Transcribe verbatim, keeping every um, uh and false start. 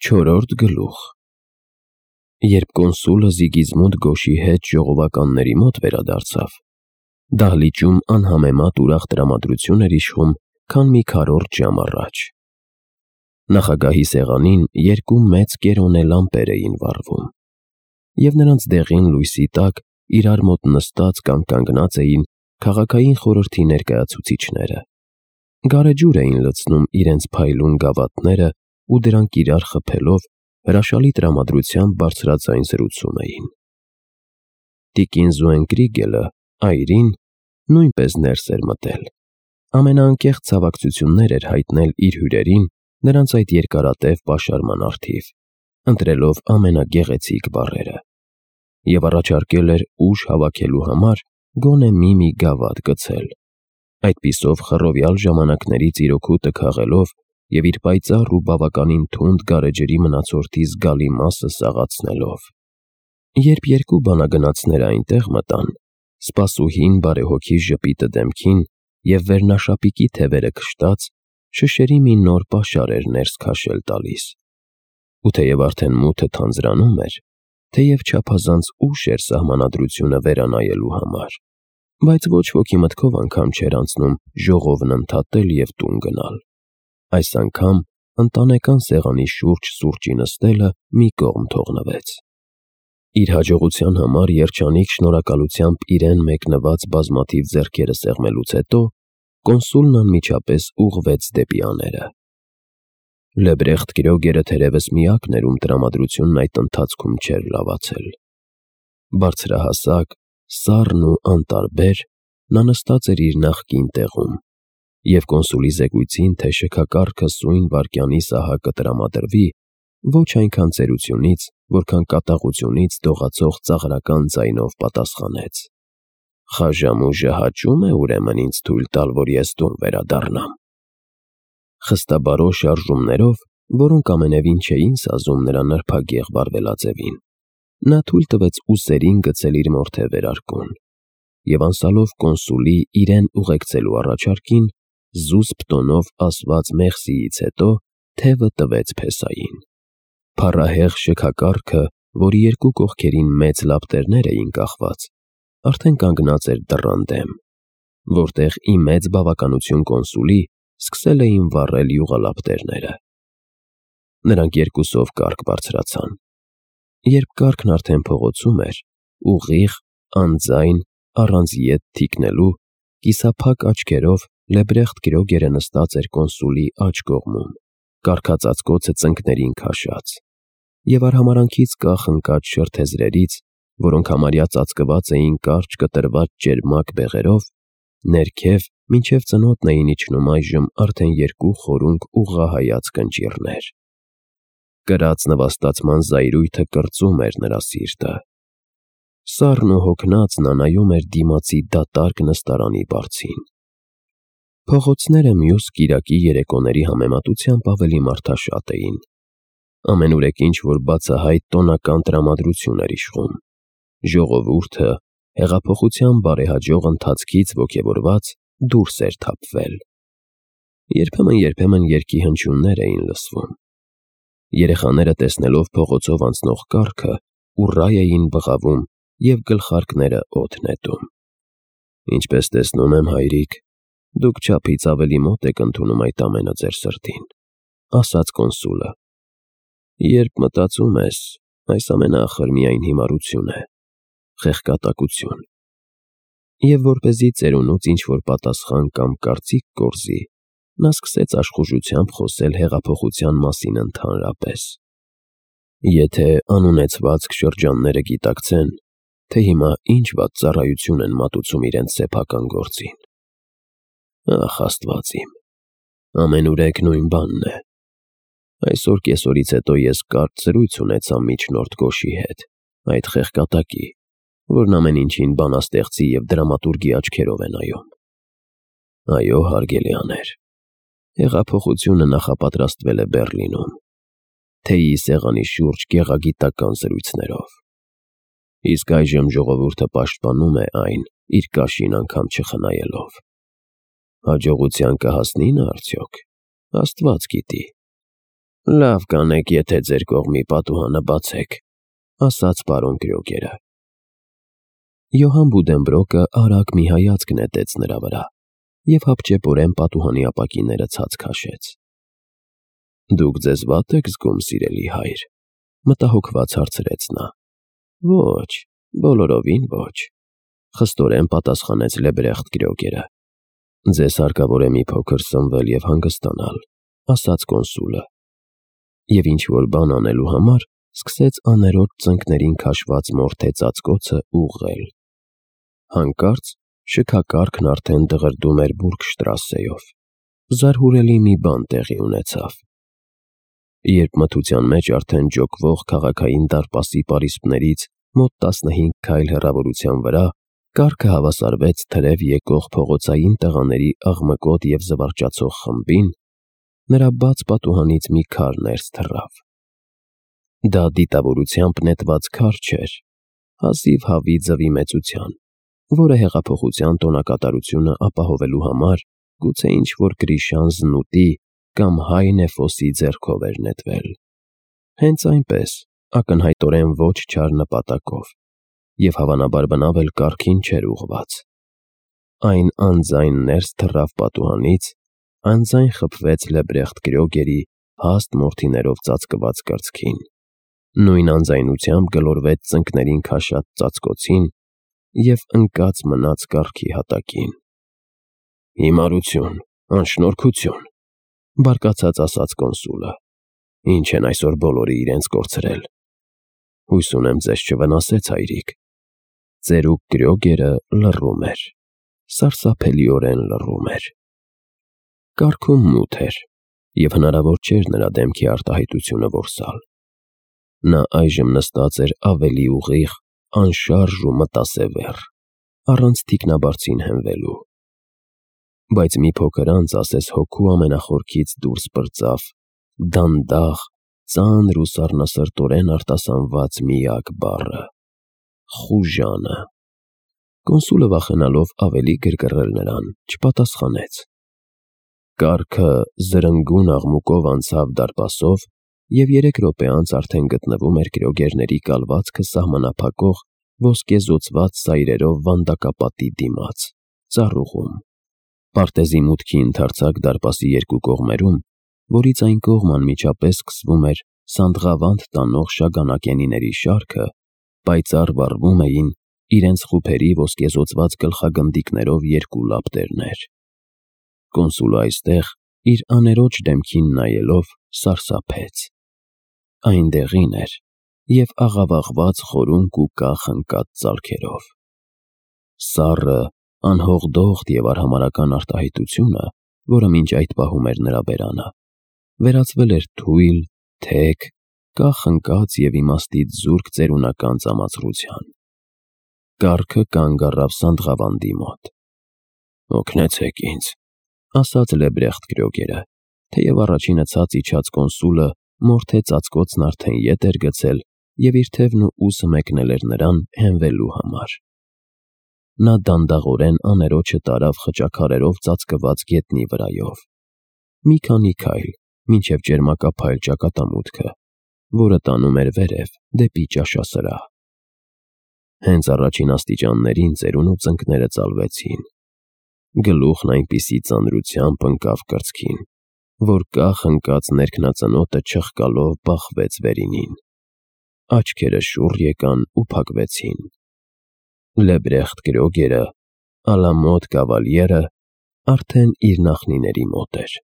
Չորրորդ գլուխ։ Երբ կոնսուլը Զիգիզմունդ Գոշի հետ ժողովականների մոտ վերադարձավ, դահլիճում անհամեմատ ուրախ տրամադրություն էր իշխում, քան մի քառորդ ժամ առաջ։ Նախագահի սեղանին երկու մեծ կերոնե լամպեր էին վառվում, և նրանց դեղին լույսի տակ իրար մոտ նստած կամ կանգնած էին քաղաքային խորհրդի ներկայացուցիչները։ Գարեջուր էին լցնում իրենց փայլուն գավաթները ու դրանք իրար խփելով հրաշալի տրամադրությամբ բարձրաձայն զրուցում էին։ Տիկին Զոենկրիգելը, այրին, նույնպես ներս էր մտել։ Ամենաանկեղծ ցավակցություններ էր հայտնել իր հյուրերին նրանց այդ երկարատև պաշարման առթիվ, ընտրելով ամենագեղեցիկ բառերը, և առաջարկել էր ուժ հավաքելու համար գոնե մի-մի գավաթ գցել, այդպիսով խռովյալ ժամանակներից իրոքուտը քաղելով և իր պայծառ ու բավականին թունդ գարեջրի մնացորդի զգալի մասը սաղացնելով։ Երբ երկու բանագնացները այնտեղ մտան, սպասուհին բարեհոգի ժպիտը դեմքին և վերնաշապիկի թևերը քշտած, շշերի մի նոր պաշար էր ներս քաշել տալիս։ Ու թեև արդեն մութը թանձրանում էր, թեև չափազանց ուշ էր սահմանադրությունը վերանայելու համար, բայց ոչ ոքի մտքով անգամ չէր անցնում ժողովն ընդհատել և տուն գնալ։ Այս անգամ ընտանեկան սեղանի շուրջ սուրճի նստելը մի կողմ թողնվեց։ Իր հաջողության համար երջանիկ շնորհակալությամբ իրեն մեկնված բազմաթիվ ձեռքերը սեղմելուց հետո կոնսուլն անմիջապես ուղղվեց դեպի աները։ Լեբրեխտ Կրյոգերը թերևս միակն էր, ում տրամադրությունն այդ ընթացքում չէր լավացել։ Բարձրահասակ, սառն ու անտարբեր, նա նստած էր իր նախկին տեղում, և կոնսուլի զեկույցին, թե շքակառքը սույն վայրկյանի սահակը տրամադրվի, ոչ այնքան ծերությունից, որքան կատաղությունից դողացող ծաղրական ձայնով պատասխանեց. «Խաժամուժը հաճո՞ւմ է ուրեմն ինձ թույլ տալ, որ ես տուն վերադառնամ»։ Խստաբարո շարժումներով, որոնք ամենևին չէին սազում նրա նրբագեղ վարվելաձևին, նա թույլ տվեց ուսերին գցել իր մորթե վերարկուն և անցալով կոնսուլի իրեն ուղեկցելու առաջարկին, զուսպ տոնով ասված մեղսիից հետո թևը տվեց փեսային։ Փառահեղ շքակառքը, որի երկու կողքերին մեծ լապտերներ էին կախված, արդեն կանգնած էր դռան դեմ, որտեղ ի մեծ բավականություն կոնսուլի սկսել էին վառել յուղալապտերները։ Նրանք երկուսով կառք բարձրացան։ Երբ կառքն արդեն փողոցում էր, ուղիղ, անձայն, առանց ետ թիկնելու, կիսափակ աչքերով Լեբրեխտ Կրյոգերը նստած էր կոնսուլի աջ կողմում, կառքածածկոցը ծնկներին քաշած, և արհամարհանքից կախ ընկած շրթեզրերից, որոնք համարյա ծածկված էին կարճ կտրված ճերմակ բեղերով, ներքև մինչև ծնոտն էին իջնում այժմ արդեն երկու խորունկ ուղղահայաց կնճիռներ։ Կրած նվաստացման զայրույթը կրծում էր նրա սիրտը։ Սառն ու հոգնած նա նայում էր դիմացի դատարկ նստարանի բարձին։ Փողոցները մյուս կիրակի երեկոների համեմատությամբ ավելի մարդաշատ էին։ Ամենուրեք ինչ-որ բացահայտ տոնական տրամադրություն էր իշխում։ Ժողովուրդը, հեղափոխության բարեհաջող ընթացքից ոգևորված, դուրս էր թափվել։ Երբեմն-երբեմն երգի հնչյուններ էին լսվում։ Երեխաները, տեսնելով փողոցով անցնող կառքը, ուռայ էին բղավում և գլխարկները օդ նետում։ «Ինչպես տեսնում եմ, հայրիկ, դուք չափից ավելի մոտ եք ընդունում այդ ամենը ձեր սրտին», ասաց կոնսուլը։ «Երբ մտածում ես, այս ամենը ախր միայն հիմարություն է, խեղկատակություն»։ Եվ որպեսզի ծերունուց ինչ-որ պատասխան կամ կարծիք կորզի, նա սկսեց աշխուժությամբ խոսել հեղափոխության մասին ընդհանրապես։ «Եթե անունեցվածք շրջանները գիտակցեն, թե հիմա ինչ վատ ծառայություն են մատուցում իրենց սեփական գործին։ Ախ, Աստված իմ, ամենուրեք նույն բանն է։ Այսօր կեսօրից հետո ես կարճ զրույց ունեցա միջնորդ Գոշի հետ, այդ խեղկատակի, որն ամեն ինչին բանաստեղծի և դրամատուրգի աչքերով է նայում։ Այո, հարգելյաներ, հեղափոխությունը նախապատրաստվել է Բեռլինում, թեյի սեղանի շուրջ գեղագիտական զրույցներով։ Իսկ այժմ ժողովուրդը պաշտպանում է այն, իր կաշին անգամ չխնայելով։ Հաջողության կհասնի՞ նա արդյոք, Աստված գիտի։ Լավ կանեք, եթե ձեր կողմի պատուհանը բացեք, ասաց պարոն Կրյոգերը։ Յոհան Բուդենբրոկը արագ մի հայացք նետեց նրա վրա և հապճեպորեն պատուհանի ապակիները ցած քաշեց։ Դուք ձեզ վատ եք զգում, սիրելի հայր, մտահոգված հարցրեց նա։ Ոչ, բոլորովին ոչ, խստորեն պատասխանեց Լեբրեխտ Կրյոգերը։ Ձեզ հարկավոր է մի փոքր սնվել և հանգստանալ, ասաց կոնսուլը։ Եվ ինչ-որ բան անելու համար սկսեց աներոջ ծնկներին քաշված մորթե ծածկոցը ուղղել։ Հանկարծ շքակառքն արդեն դղրդում էր Բուրգշտրասեով։ Զարհուրելի մի բան տեղի ունեցավ։ Երբ մթության մեջ արդեն ջոկվող քաղաքային դարպասի պարիսպներից մոտ տասնհինգ քայլ հեռավորության վրա կառքը հավասարվեց թրև եկող փողոցային տղաների աղմկոտ և զվարճացող խմբին, նրա բաց պատուհանից մի քար ներս թռավ։ Դա դիտավորությամբ նետված քար չէր, հազիվ հավի ձվի մեծության, որը հեղափոխության տոնակատարությունը ապահովելու համար գուցե ինչ-որ Գրիշան Զնուտի կամ Հայ Նեֆոսի ձեռքով էր նետվել։ Հենց այնպես, ակնհայտորեն ոչ չար նպատակով, և հավանաբար բնավ էլ կառքին չէր ուղղված։ Այն անձայն ներս թռավ պատուհանից, անձայն խփվեց Լեբրեխտ Կրյոգերի հաստ մորթիներով ծածկված կրծքին, նույն անձայնությամբ գլորվեց ծնկներին քաշած ծածկոցին և ընկած մնաց կառքի հատակին։ Հիմարություն, անշնորհքություն, բարկացած ասաց կոնսուլը։ Ինչ են այսօր բոլորը իրենց կորցրել։ Հույս ունեմ ձեզ չվնասեց, հայրիկ։ Ծերուկ Կրյոգերը լռում էր, սարսափելիորեն լռում էր։ Կառքում մութ էր, և հնարավոր չէր նրա դեմքի արտահայտությունը որսալ։ Նա այժմ նստած էր ավելի ուղիղ, անշարժ ու մտասևեռ, առանց թիկնաբարձին հենվելու։ Բայց մի փոքր անց ասես հոգու ամենախորքից դուրս պրծավ դանդաղ, ծանր ու սառնասրտորեն արտասանված միակ բառը՝ խուժանը։ Կոնսուլը վախենալով ավելի գրգռել նրան, չպատասխանեց։ Կառքը զրնգուն աղմուկով անցավ դարպասով և երեք րոպե անց արդեն գտնվում էր կրյոգերների կալվածքը սահմանափակող ոսկեզօծված սայրերով վանդակապատի դիմաց, ծառուղում։ Պարտեզի մուտքի ընդարձակ դարպասի երկու կողմերում, որից այն կողմ անմիջապես սկսվում էր Սանդղավանդ տանող շագանակենիների շարքը, պայծառ վառվում էին իրենց խուփերի ոսկեզօծված գլխագնդիկներով երկու լապտերներ։ Կոնսուլը այստեղ, իր աներոջ դեմքին նայելով, սարսափեց։ Այնտեղին էր և աղավաղված խորունկ ու կախ ընկած ծալքերով։ Սառը, անհողդողդ և արհամարհական արտահայտությունը, որը մինչ այդ պահում էր նրա բերանը, վերածվել էր թույլ, թեք, կախ ընկած և իմաստից զուրկ ծերունական ծամացրության։ Կառքը կանգ առավ Սանդղավանդի մոտ։ «Օգնեցեք ինձ», ասաց Լեբրեխտ Կրյոգերը, թեև առաջինը ցած իջած կոնսուլը մորթե ծածկոցն արդեն ետ էր գցել և իր թևն ու ուսը մեկնել էր նրան հենվելու համար։ Նա դանդաղորեն աներոջը տարավ խճաքարերով ծածկված գետնի վրայով։ Մի քանի քայլ, մինչև ճերմակափայլ ճակատամուտքը, որը տանում էր վերև դեպի ճաշասրահ։ Հենց առաջին աստիճաններին ծերունու ծնկները ծալվեցին։ Գլուխն այնպիսի ծանրությամբ ընկավ կրծքին, որ կախ ընկած ներքնածնոտը չխկալով բախվեց վերինին։ Աչքերը շուռ եկան ու փակվեցին։ Լեբրեխտ Կրյոգերը, ալամոտ կավալյերը, արդեն իր նախնիների մոտ էր։